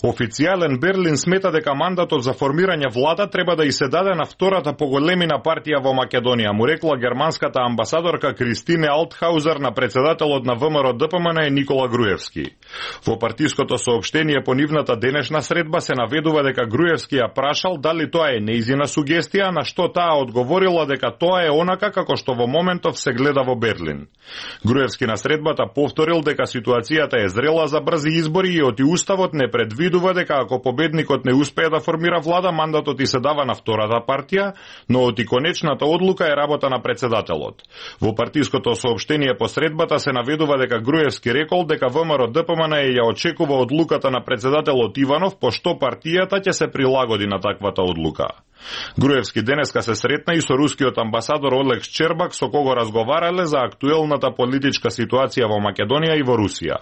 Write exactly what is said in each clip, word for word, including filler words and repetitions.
Официјален Берлин смета дека мандатот за формирање влада треба да и се даде на втората поголемина партија во Македонија, му рекла германската амбасадорка Кристине Алтхаузер на председателот на ВМРО Д П М Н Никола Груевски. Во партиското соопштение по нивната денешна средба се наведува дека Груевски ја прашал дали тоа е нејзина сугестија, на што таа одговорила дека тоа е онака како што во моментов се гледа во Берлин. Груевски на средбата повторил дека ситуацијата е зрела за брзи избори и оти уставот не предвидува дека ако победникот не успее да формира влада, мандатот и се дава на втората партија, но оти конечната одлука е работа на председателот. Во партиското соопштение по средбата се наведува дека Груевски рекол дека ВМРО Д П М Н ја очекува одлуката на председателот Иванов, пошто партијата ќе се прилагоди на таквата одлука. Груевски денеска се сретна и со рускиот амбасадор Олекс Чербак, со кого разговарале за актуелната политичка ситуација во Македонија и во Русија.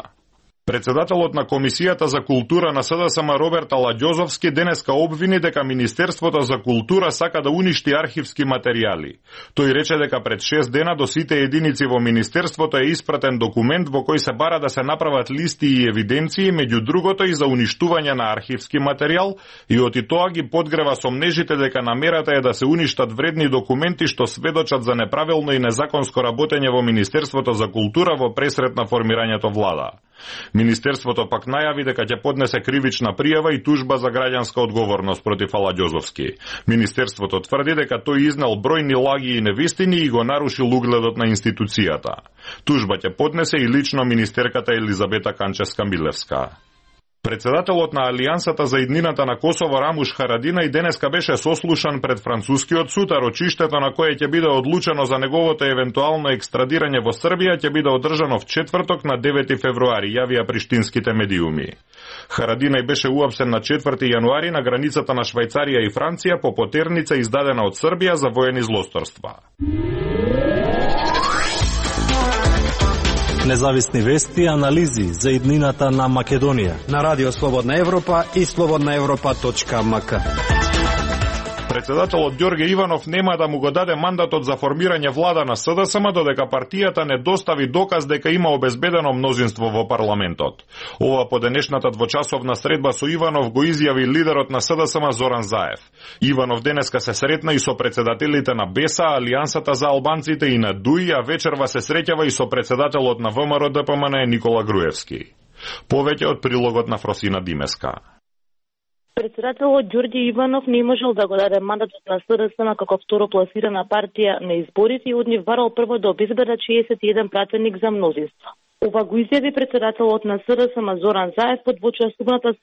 Председателот на Комисијата за култура на С Д С М Роберт Аладјозовски денеска обвини дека Министерството за култура сака да уништи архивски материјали. Тој рече дека пред шест дена до сите единици во Министерството е испратен документ во кој се бара да се направат листи и евиденции, меѓу другото и за уништување на архивски материјал, и оти тоа ги подгрева сомнежите дека намерата е да се уништат вредни документи што сведочат за неправилно и незаконско работење во Министерството за култура во пресрет на формирањето влада. Министерството пак најави дека ќе поднесе кривична пријава и тужба за граѓанска одговорност против Аладјозовски. Министерството тврди дека тој изнел бројни лаги и невистини и го нарушил угледот на институцијата. Тужба ќе поднесе и лично министерката Елизабета Канчевска-Милевска. Председателот на Алијансата за иднината на Косово Рамуш Харадина и денеска беше сослушан пред францускиот суд, а рочиштето на кое ќе биде одлучено за неговото евентуално екстрадирање во Србија ќе биде одржано в четврток на девети февруари, јавија приштинските медиуми. Харадина беше уапсен на четврти јануари на границата на Швајцарија и Франција по потерница издадена од Србија за воени злосторства. Независни вести и анализи за иднината на Македонија на Радио Слободна Европа и слободна европа точка м к. Председателот Ѓорге Иванов нема да му го даде мандатот за формирање влада на С Д С М додека партијата не достави доказ дека има обезбедено мнозинство во парламентот. Ова по денешната двочасовна средба со Иванов го изјави лидерот на С Д С М Зоран Заев. Иванов денеска се сретна и со председателите на Беса, Алијансата за албанците и на Дуи, а вечерва се среќава и со председателот на В М Р Д П М Н Никола Груевски. Повеќе од прилогот на Фросина Димеска. Председателот Ѓорѓе Иванов не можел да го даде мандатот на С Д С М како второпласирана партија на изборите и од нив барал прво да обезбедат шеесет и еден пратеник за мнозинство. Ова го изјави председателот на С Д С М Зоран Заев по двочасовната